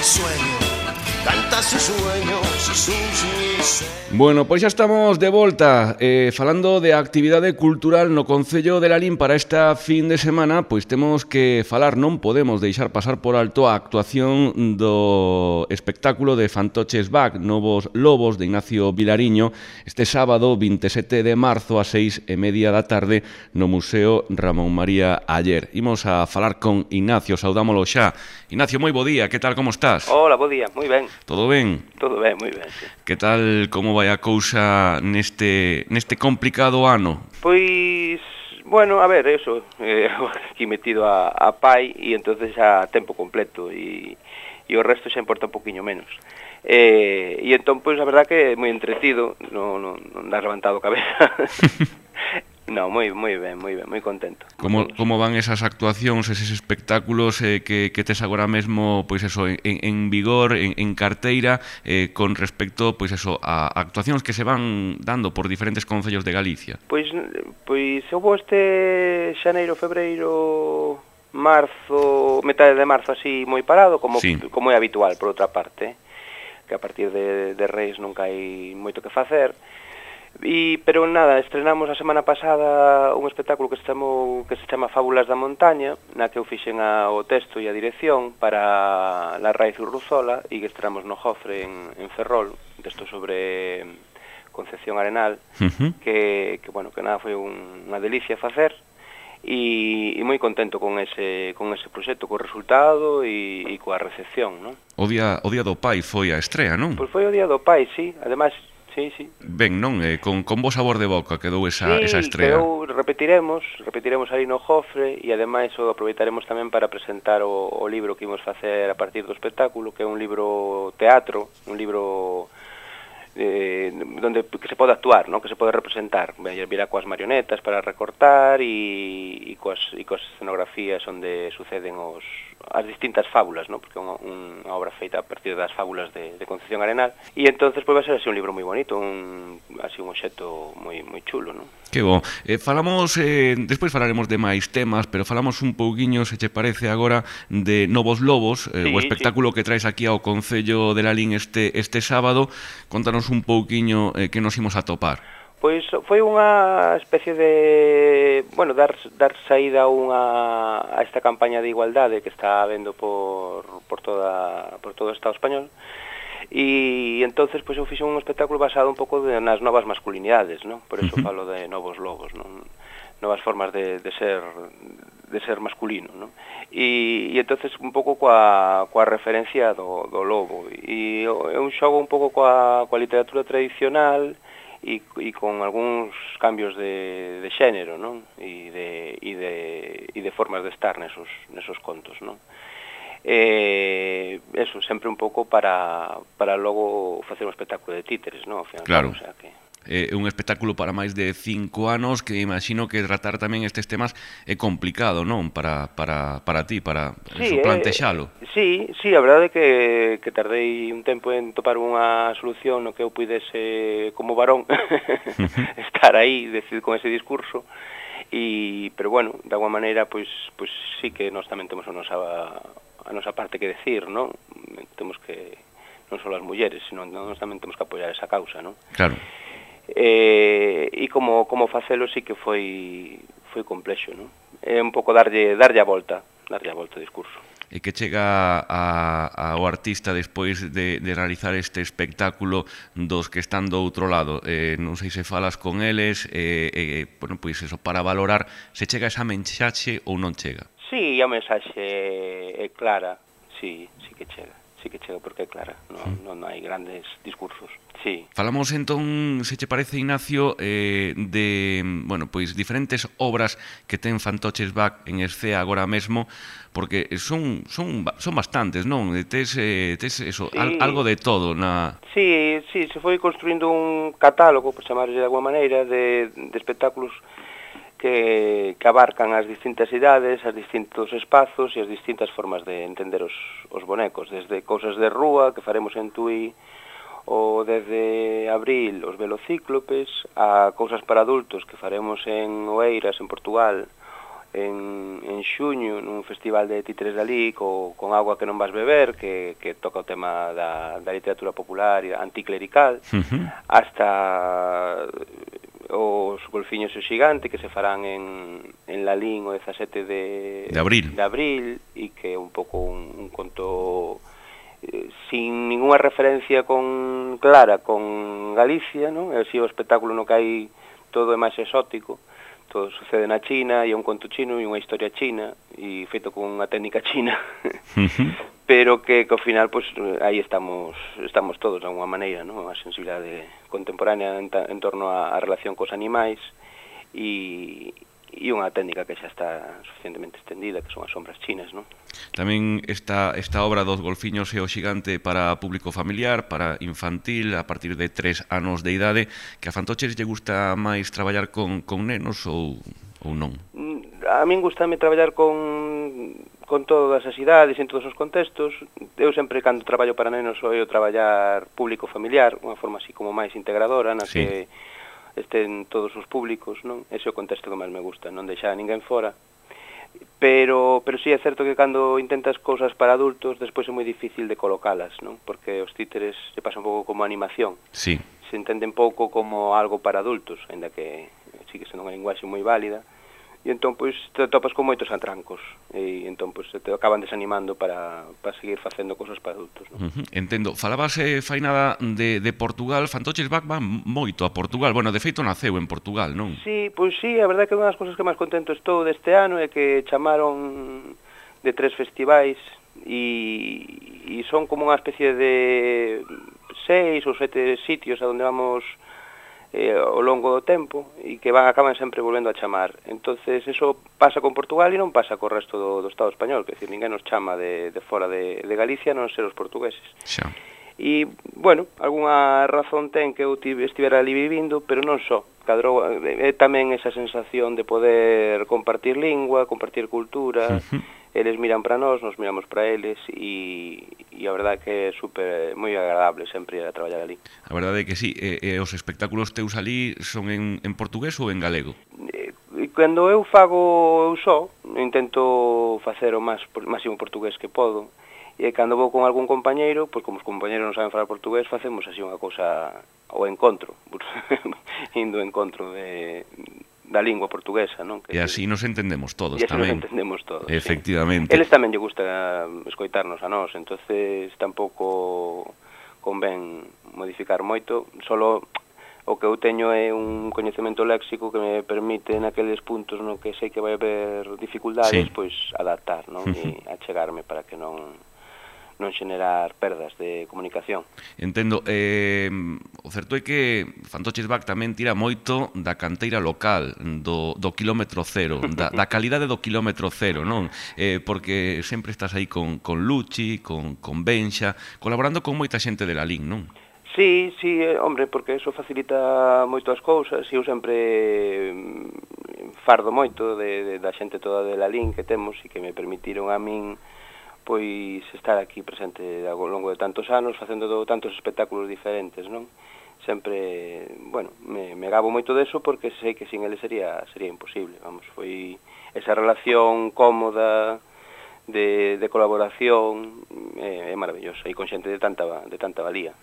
sueño, canta sus sueños e sus miserias. Bueno, pois xa estamos de volta falando de actividade cultural no Concello de Lalín para esta fin de semana. Pois temos que falar, non podemos deixar pasar por alto a actuación do espectáculo de Fantoches Back, Novos Lobos, de Ignacio Vilariño, este sábado 27 de marzo a 6:30 da tarde no Museo Ramón María Aller. Imos a falar con Ignacio, saudámolo xa. Ignacio, moi bo día, que tal, como estás? Hola, bo día, moi ben. Todo ben? Todo ben, moi ben, sí. Que tal, como vai a cousa neste complicado ano? Pois, bueno, a ver, eso, aquí metido a pai e entonces xa tempo completo e o resto xa importa un poquinho menos. E entón, pois, a verdad que é moi entretido, non das levantado cabeza. No, moi ben, moi contento. Como van esas actuacións, eses espectáculos que tes agora mesmo, pois eso, en vigor, en carteira, con respecto, pois eso, a actuacións que se van dando por diferentes concellos de Galicia? Pois houve este xaneiro, febreiro, marzo, metade de marzo así moi parado, como é habitual, por outra parte, que a partir de Reis nunca hai moito que facer. Pero nada, estrenamos a semana pasada un espectáculo que se chama Fábulas da Montaña, na que eu fixen o texto e a dirección para La Raíz Urruzola, e que estrenamos no Jofre en Ferrol, texto sobre Concepción Arenal, que nada, foi unha delicia facer, e moi contento con ese proxecto, co resultado e coa recepción, non? O día do Pai foi a estrea, non? Pois foi o Día do Pai, sí, ademais. Sí. Ben, non? Con bo sabor de boca quedou esa estrea. Sí, repetiremos ali no Jofre e ademais o aproveitaremos tamén para presentar o libro que imos facer a partir do espectáculo, que é un libro teatro, un libro que se pode actuar, ¿no? Que se pode representar. Virá coas marionetas para recortar e coas escenografías onde suceden as distintas fábulas, ¿no? Porque é unha obra feita a partir das fábulas de Concepción Arenal, e entonces vai ser así un libro moi bonito, un obxecto moi chulo, ¿no? Que bo. Falamos, despois falaremos de máis temas, pero falamos un pouquiño, se che parece agora, de Novos Lobos, o espectáculo que traes aquí ao Concello de Lalín este sábado. Contanos un pouquiño que nos imos a topar. Pois foi unha especie de, dar saída a esta campaña de igualdade que está habendo por todo o Estado español, e entonces pois eu fixen un espectáculo basado un pouco nas novas masculinidades, non? Por eso falo de Novos Lobos, non? Novas formas de ser masculino, non? E entonces un pouco coa referencia do lobo, e é un xogo un pouco coa literatura tradicional e con algúns cambios de xénero, non? E de formas de estar nesos contos, non? Eso, sempre un pouco para logo facer un espectáculo de títeres, non? Claro. O sea que un espectáculo para máis de 5 anos, que imagino que tratar tamén estes temas é complicado, non? Para ti, para plantexalo. Sí, a verdade é que tardei un tempo en topar unha solución no que eu puidese, como varón, estar aí, con ese discurso, pero bueno, de alguma maneira, pois sí que nós tamén temos a nosa parte que decir, non? Temos que, non só as mulleres, senón nós tamén temos que apoiar esa causa, non? Claro. E como facelo sí que foi complexo, non? É un pouco darlle a volta ao discurso. E que chega ao artista despois de realizar este espectáculo dos que están do outro lado? Non sei se falas con eles, bueno, pois eso, para valorar se chega esa mensaxe ou non chega. Sí, a mensaxe é clara, sí que chega porque é clara, non hai grandes discursos. Sí. Falamos entón, se che parece, Ignacio, de, bueno, pois diferentes obras que ten Fantoches Back en escena agora mesmo, porque son bastantes, non? Tes eso, algo de todo na... Sí, se foi construindo un catálogo, por chamarlle de alguma maneira, de espectáculos que abarcan as distintas idades, os distintos espazos e as distintas formas de entender os bonecos, desde cousas de rúa que faremos en Tui, ou desde abril os velocíclopes, a cousas para adultos que faremos en Oeiras, en Portugal, en xuño nun festival de títeres de alí con Agua que non vas beber, que toca o tema da literatura popular e anticlerical, hasta os Golfiños e o Xigante, que se farán en Lalín o 17 de abril, e que é un pouco un conto sin ninguna referencia clara con Galicia, non? É así o espectáculo no que hai todo é máis exótico. Todo sucede na China, e é un conto chino e unha historia china, e feito con unha técnica china, pero que ao final, pues, aí estamos todos, de alguma maneira, ¿no? A sensibilidade contemporánea en torno á relación cos animais, e unha técnica que xa está suficientemente extendida, que son as sombras chinas, ¿no? Tamén esta obra dos Golfiños e o Xigante para público familiar, para infantil, a partir de 3 anos de idade, que a Fantoches lle gusta máis traballar con nenos ou non? A min gustame traballar con todas as idades, en todos os contextos. Eu sempre, cando traballo para nenos, sou traballar público familiar, unha forma así como máis integradora, na que estén todos os públicos, non? Ese é o contexto que máis me gusta, non deixar a ninguén fora. Pero sí é certo que cando intentas cousas para adultos, despois é moi difícil de colocalas, non? Porque os títeres se pasan un pouco como animación. Sí. Se entenden pouco como algo para adultos, ainda que sigue sendo unha linguaxe moi válida. E entón, pois, te topas con moitos atrancos, e entón, pois, te acaban desanimando para seguir facendo cousas para adultos, non? Entendo. Falabas, Fainada, de Portugal. Fantoches van moito a Portugal. Bueno, de feito, naceu en Portugal, non? Sí, pois sí, a verdade é que unha das cousas que máis contento estou deste ano é que chamaron de 3 festivais, e son como unha especie de 6 ou 7 sitios a onde vamos ao longo do tempo, e que acaban sempre volvendo a chamar. Entonces, eso pasa con Portugal e non pasa co resto do Estado español, que decir, ninguén nos chama de fora de Galicia, non ser os portugueses. Xa. E, bueno, algunha razón ten que eu estivera ali vivindo, pero non só. Cadrou, é tamén esa sensación de poder compartir lingua, compartir cultura. Eles miran para nós, nos miramos para eles, e a verdade que é moi agradable sempre ir a traballar ali. A verdade é que sí. Os espectáculos teus ali son en portugués ou en galego? Cando eu fago eu só, intento facer o máximo portugués que podo, e cando vou con algún compañeiro, pois como os compañeros non saben falar portugués, facemos así unha cousa ao encontro, indo ao encontro da lingua portuguesa, non? E así nos entendemos todos tamén. E así nos entendemos todos, efectivamente. Sí. Eles tamén lle gusta escoitarnos a nós, entonces tampouco convén modificar moito, solo o que eu teño é un coñecemento léxico que me permite naqueles puntos no que sei que vai haber dificultades, pois adaptar, non? E achegarme para que non xenerar perdas de comunicación. Entendo. O certo é que Fantoches Back tamén tira moito da canteira local, do quilómetro cero, da calidade do quilómetro cero, non? Porque sempre estás aí con Luchi, con Benxa, colaborando con moita xente de Lalín, non? Sí, hombre, porque eso facilita moito as cousas, e eu sempre fardo moito da xente toda de Lalín que temos, e que me permitiron a min pois estar aquí presente ao longo de tantos anos, facendo tantos espectáculos diferentes, non? Sempre, bueno, me gabo moito deso, porque sei que sin ele sería imposible, vamos, foi esa relación cómoda de colaboración, é maravillosa, e con xente de tanta valía.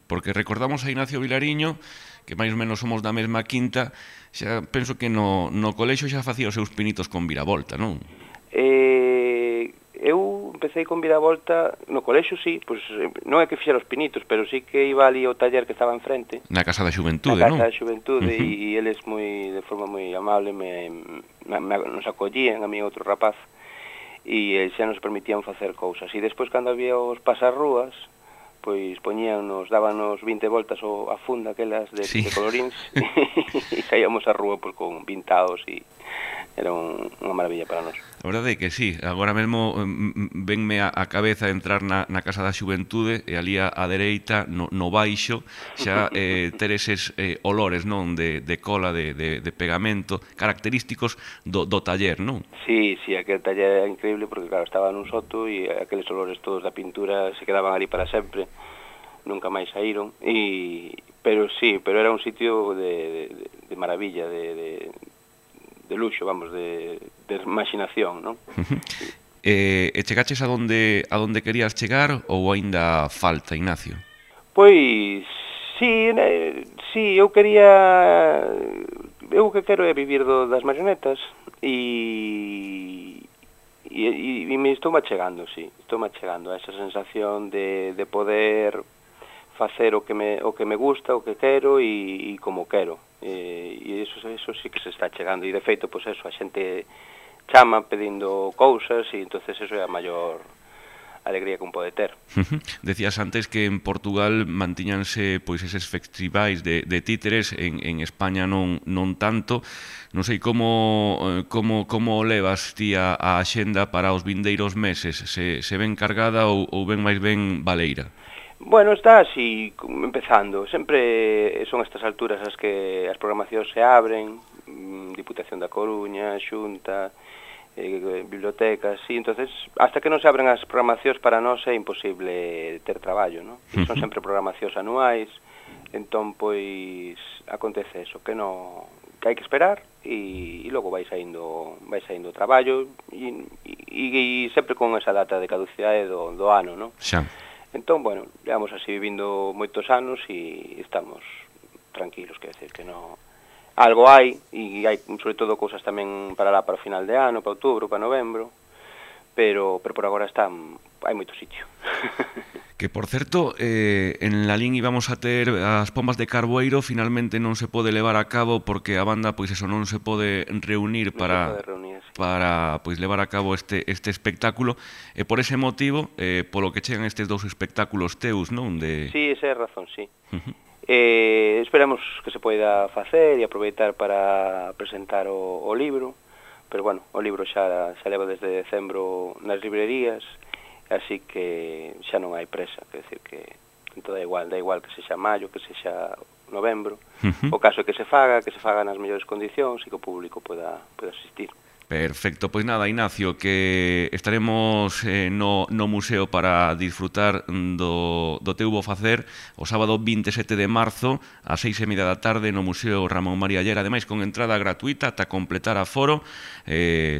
Porque recordamos a Ignacio Vilariño, que máis ou menos somos da mesma quinta, xa penso que no colexo xa facía os seus pinitos con viravolta, non? Eu empecé con viravolta no colexo, sí, pois non é que fixera os pinitos, pero sí que iba ali ao taller que estaba enfrente. Na Casa da Xuventude, non? Na Casa da Xuventude, e eles de forma moi amable nos acollían, a mí e outro rapaz, e xa nos permitían facer cousas. E despois, cando había os pasarrúas, pois dábanos 20 voltas a funda aquelas de coloríns, e saíamos á rúa con pintados, e era unha maravilla para nós. A verdade é que sí, agora mesmo venme a cabeza entrar na Casa da Xuventude, e ali á dereita, no baixo, xa ter eses olores, non, de cola, de pegamento, característicos do taller, non? Sí, aquel taller era increíble, porque claro, estaba nun soto, e aqueles olores todos da pintura se quedaban ali para sempre, nunca máis saíron, pero era un sitio de maravilla, de luxo, vamos, de imaginación, non? E chegaches a donde querías chegar ou aínda falta, Ignacio? Pois, sí, eu quería... Eu o que quero é vivir das marionetas e me estou achegando, sí, estou achegando a esa sensación de poder facer o que me gusta, o que quero e como quero. E eso sí que se está chegando. E de feito, pois eso, a xente chama pedindo cousas e entonces eso é a maior alegría que un pode ter. Decías antes que en Portugal mantiñanse pois eses festivais de títeres, en España non tanto. Non sei como levas ti a axenda para os vindeiros meses, se ven cargada ou ven máis ben baleira? Bueno, está así, empezando. Sempre son estas alturas as que as programacións se abren, Diputación da Coruña, Xunta, bibliotecas, sí, entonces hasta que non se abren as programacións para nós é imposible ter traballo, non? Son sempre programacións anuais, entón pois acontece eso, que hai que esperar e logo vai saindo traballo e sempre con esa data de caducidade do ano, non? Xa. Entón, bueno, llevamos así vivindo moitos anos e estamos tranquilos, quer decir que non... Algo hai, e hai sobre todo cousas tamén para o final de ano, para outubro, para novembro, pero por agora hai moito sitio. Que, por certo, en Lalín íbamos a ter as pombas de Carboeiro, finalmente non se pode levar a cabo porque a banda, pois eso, non se pode reunir para pois levar a cabo este espectáculo, e por ese motivo, polo que chegan estes dous espectáculos teus, non? Sí, esa é a razón, sí. Esperamos que se poida facer e aproveitar para presentar o libro, pero bueno, o libro xa leva desde decembro nas librerías, así que xa non hai presa, quer decir que dá igual que sexa maio, que sexa novembro, o caso é que se faga nas mellores condicións e que o público poida asistir. Perfecto, pois nada, Ignacio, que estaremos no museo para disfrutar do teu bo facer o sábado 27 de marzo ás 6:30 da tarde no Museo Ramón María Llera, ademais con entrada gratuita ata completar aforo.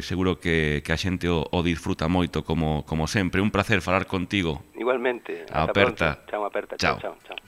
Seguro que a xente o disfruta moito como sempre. Un placer falar contigo. Igualmente. Aperta. Chao, aperta. Chao. Chao.